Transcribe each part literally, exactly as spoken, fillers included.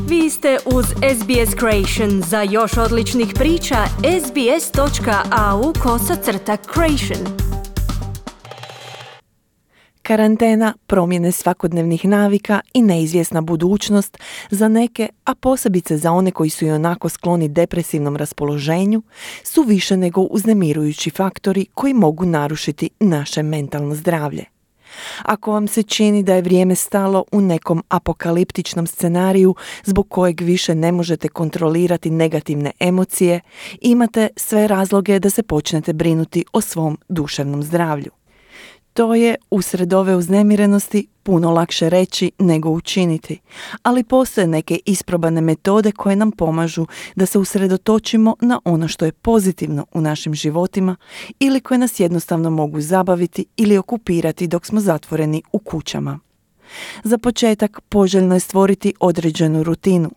Vi ste uz S B S Creation. Za još odličnih priča, sbs.au kosacrta creation. Karantena, promjene svakodnevnih navika i neizvjesna budućnost za neke, a posebice za one koji su i onako skloni depresivnom raspoloženju, su više nego uznemirujući faktori koji mogu narušiti naše mentalno zdravlje. Ako vam se čini da je vrijeme stalo u nekom apokaliptičnom scenariju zbog kojeg više ne možete kontrolirati negativne emocije, imate sve razloge da se počnete brinuti o svom duševnom zdravlju. To je usred ove uznemirenosti puno lakše reći nego učiniti, ali postoje neke isprobane metode koje nam pomažu da se usredotočimo na ono što je pozitivno u našim životima ili koje nas jednostavno mogu zabaviti ili okupirati dok smo zatvoreni u kućama. Za početak poželjno je stvoriti određenu rutinu,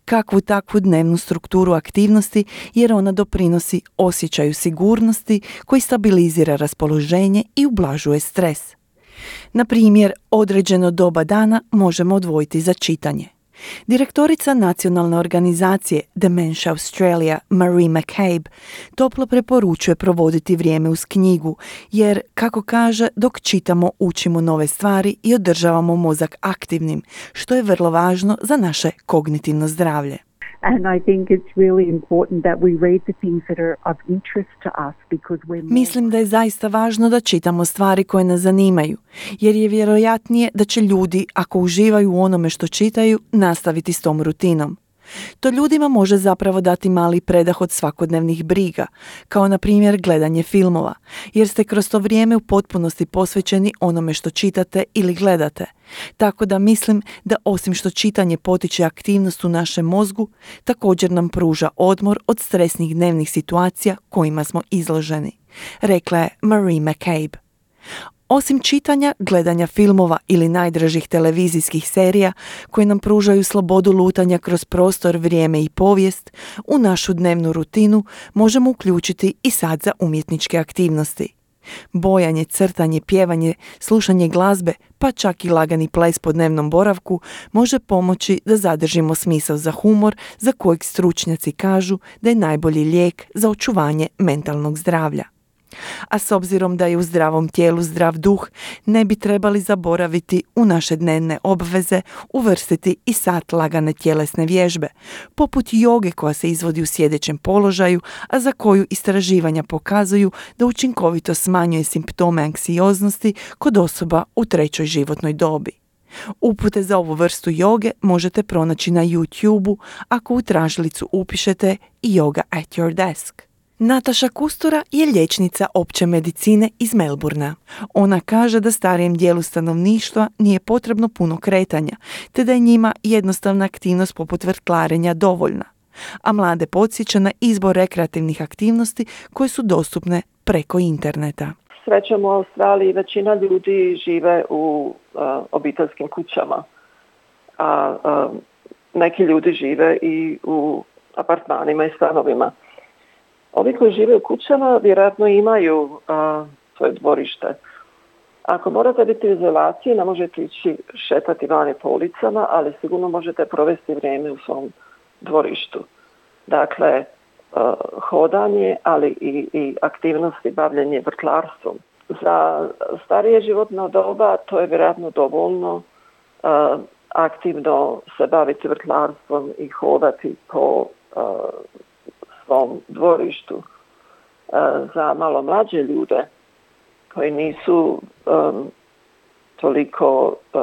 kakvu takvu dnevnu strukturu aktivnosti, jer ona doprinosi osjećaju sigurnosti koji stabilizira raspoloženje i ublažuje stres. Na primjer, određeno doba dana možemo odvojiti za čitanje. Direktorica nacionalne organizacije Dementia Australia, Marie McCabe, toplo preporučuje provoditi vrijeme uz knjigu, jer, kako kaže, dok čitamo učimo nove stvari i održavamo mozak aktivnim, što je vrlo važno za naše kognitivno zdravlje. And I think it's really important that we read the things that are of interest to us because we're more... Mislim da je zaista važno da čitamo stvari koje nas zanimaju, jer je vjerojatnije da će ljudi, ako uživaju u onome što čitaju, nastaviti s tom rutinom. To ljudima može zapravo dati mali predah od svakodnevnih briga, kao na primjer gledanje filmova, jer ste kroz to vrijeme u potpunosti posvećeni onome što čitate ili gledate. Tako da mislim da osim što čitanje potiče aktivnost u našem mozgu, također nam pruža odmor od stresnih dnevnih situacija kojima smo izloženi, rekla je Marie McCabe. Osim čitanja, gledanja filmova ili najdražih televizijskih serija koje nam pružaju slobodu lutanja kroz prostor, vrijeme i povijest, u našu dnevnu rutinu možemo uključiti i sat za umjetničke aktivnosti. Bojanje, crtanje, pjevanje, slušanje glazbe, pa čak i lagani ples po dnevnom boravku može pomoći da zadržimo smisao za humor, za kojeg stručnjaci kažu da je najbolji lijek za očuvanje mentalnog zdravlja. A s obzirom da je u zdravom tijelu zdrav duh, ne bi trebali zaboraviti u naše dnevne obveze uvrstiti i sat lagane tjelesne vježbe, poput joge koja se izvodi u sjedećem položaju, a za koju istraživanja pokazuju da učinkovito smanjuje simptome anksioznosti kod osoba u trećoj životnoj dobi. Upute za ovu vrstu joge možete pronaći na YouTubeu ako u tražilicu upišete Yoga at your desk. Nataša Kustura je liječnica opće medicine iz Melbournea. Ona kaže da starijem dijelu stanovništva nije potrebno puno kretanja, te da je njima jednostavna aktivnost poput vrtlarenja dovoljna. A mlade podsjeća na izbor rekreativnih aktivnosti koje su dostupne preko interneta. Srećom u Australiji većina ljudi žive u uh, obiteljskim kućama, a uh, neki ljudi žive i u apartmanima i stanovima. Ovi koji žive u kućama vjerojatno imaju a, svoje dvorište. Ako morate biti u izolaciji, ne možete ići šetati vani po ulicama, ali sigurno možete provesti vrijeme u svom dvorištu. Dakle, a, hodanje, ali i, i aktivnosti bavljenje vrtlarstvom. Za starije životno doba to je vjerojatno dovoljno a, aktivno se baviti vrtlarstvom i hodati po a, svom dvorištu. Za malo mlađe ljude koji nisu um, toliko um,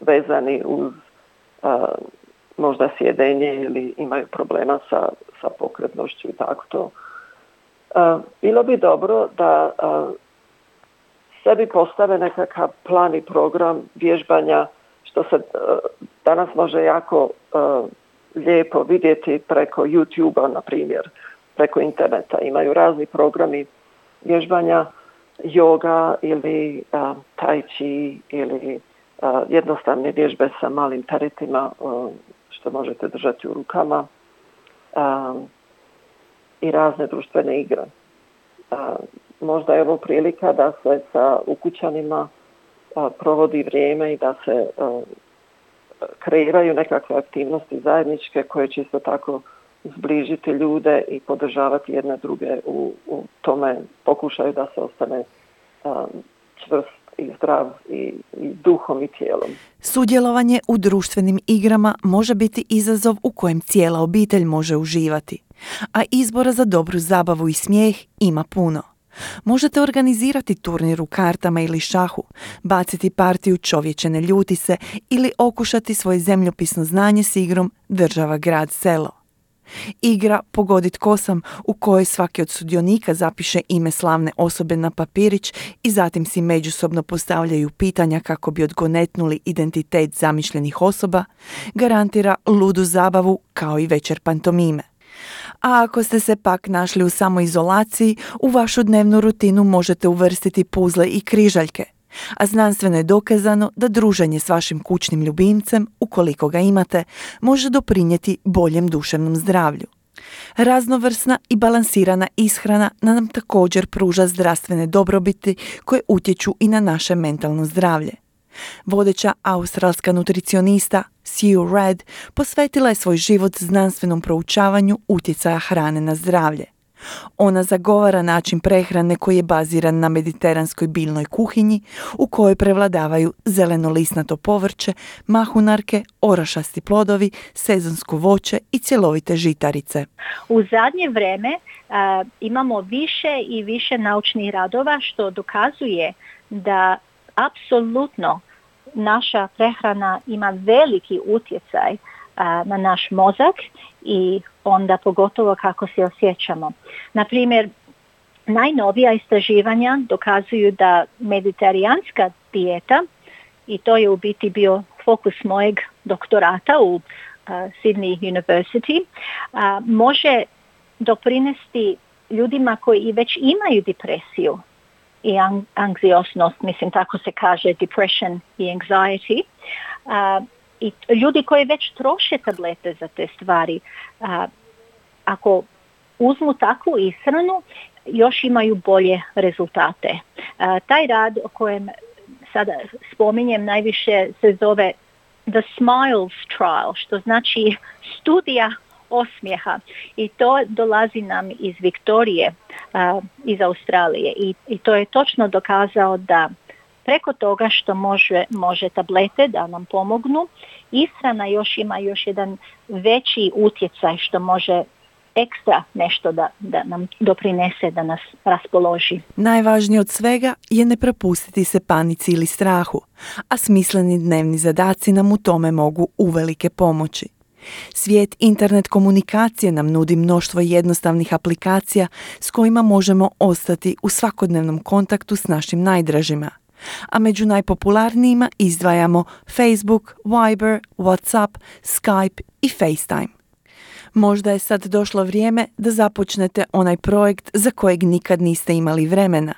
vezani uz uh, možda sjedenje ili imaju problema sa, sa pokretnošću i tako to. Uh, bilo bi dobro da uh, sebi postave nekakav plan i program vježbanja, što se uh, danas može jako uh, lijepo vidjeti preko YouTubea, na primjer, preko interneta. Imaju razni programi vježbanja, yoga ili uh, tai chi ili uh, jednostavne vježbe sa malim teretima uh, što možete držati u rukama um, i razne društvene igre. Uh, možda je ovo prilika da se sa ukućanima uh, provodi vrijeme i da se uh, kreiraju nekakve aktivnosti zajedničke koje će isto tako zbližiti ljude i podržavati jedne druge u, u tome pokušaju da se ostane um, čvrst i zdrav i, i duhom i tijelom. Sudjelovanje u društvenim igrama može biti izazov u kojem cijela obitelj može uživati, a izbora za dobru zabavu i smijeh ima puno. Možete organizirati turnir u kartama ili šahu, baciti partiju čovječe ne ljuti se ili okušati svoje zemljopisno znanje s igrom država, grad, selo. Igra Pogodit ko sam, u kojoj svaki od sudionika zapiše ime slavne osobe na papirić i zatim si međusobno postavljaju pitanja kako bi odgonetnuli identitet zamišljenih osoba, garantira ludu zabavu kao i večer pantomime. A ako ste se pak našli u samoizolaciji, u vašu dnevnu rutinu možete uvrstiti puzle i križaljke. A znanstveno je dokazano da druženje s vašim kućnim ljubimcem, ukoliko ga imate, može doprinijeti boljem duševnom zdravlju. Raznovrsna i balansirana ishrana nam također pruža zdravstvene dobrobiti koje utječu i na naše mentalno zdravlje. Vodeća australska nutricionista Sue Red posvetila je svoj život znanstvenom proučavanju utjecaja hrane na zdravlje. Ona zagovara način prehrane koji je baziran na mediteranskoj biljnoj kuhinji u kojoj prevladavaju zelenolisnato povrće, mahunarke, orašasti plodovi, sezonsko voće i cjelovite žitarice. U zadnje vrijeme uh, imamo više i više naučnih radova što dokazuje da apsolutno naša prehrana ima veliki utjecaj uh, na naš mozak i onda pogotovo kako se osjećamo. Na primjer, najnovija istraživanja dokazuju da mediteraneanska dijeta, i to je u biti bio fokus mojeg doktorata u uh, Sydney University, uh, može doprinesti ljudima koji već imaju depresiju i anksioznost, mislim tako se kaže, depression i anxiety, uh, i ljudi koji već troše tablete za te stvari, a, ako uzmu takvu ishranu, još imaju bolje rezultate. A, taj rad o kojem sada spominjem najviše se zove The Smiles Trial, što znači studija osmijeha. I to dolazi nam iz Viktorije, a, iz Australije. I, I to je točno dokazao da preko toga što može, može tablete da nam pomognu, ishrana još ima još jedan veći utjecaj što može ekstra nešto da, da nam doprinese, da nas raspoloži. Najvažnije od svega je ne prepustiti se panici ili strahu, a smisleni dnevni zadaci nam u tome mogu uvelike pomoći. Svijet internet komunikacije nam nudi mnoštvo jednostavnih aplikacija s kojima možemo ostati u svakodnevnom kontaktu s našim najdražima. A među najpopularnijima izdvajamo Facebook, Viber, WhatsApp, Skype i FaceTime. Možda je sad došlo vrijeme da započnete onaj projekt za kojeg nikad niste imali vremena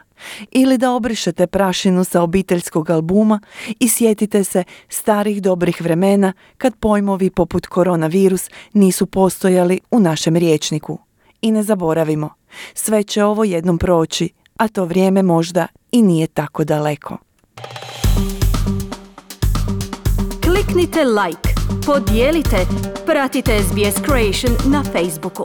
ili da obrišete prašinu sa obiteljskog albuma i sjetite se starih dobrih vremena kad pojmovi poput koronavirus nisu postojali u našem rječniku. I ne zaboravimo, sve će ovo jednom proći, a to vrijeme možda i nije tako daleko. Kliknite like, podijelite, pratite S B S Creation na Facebooku.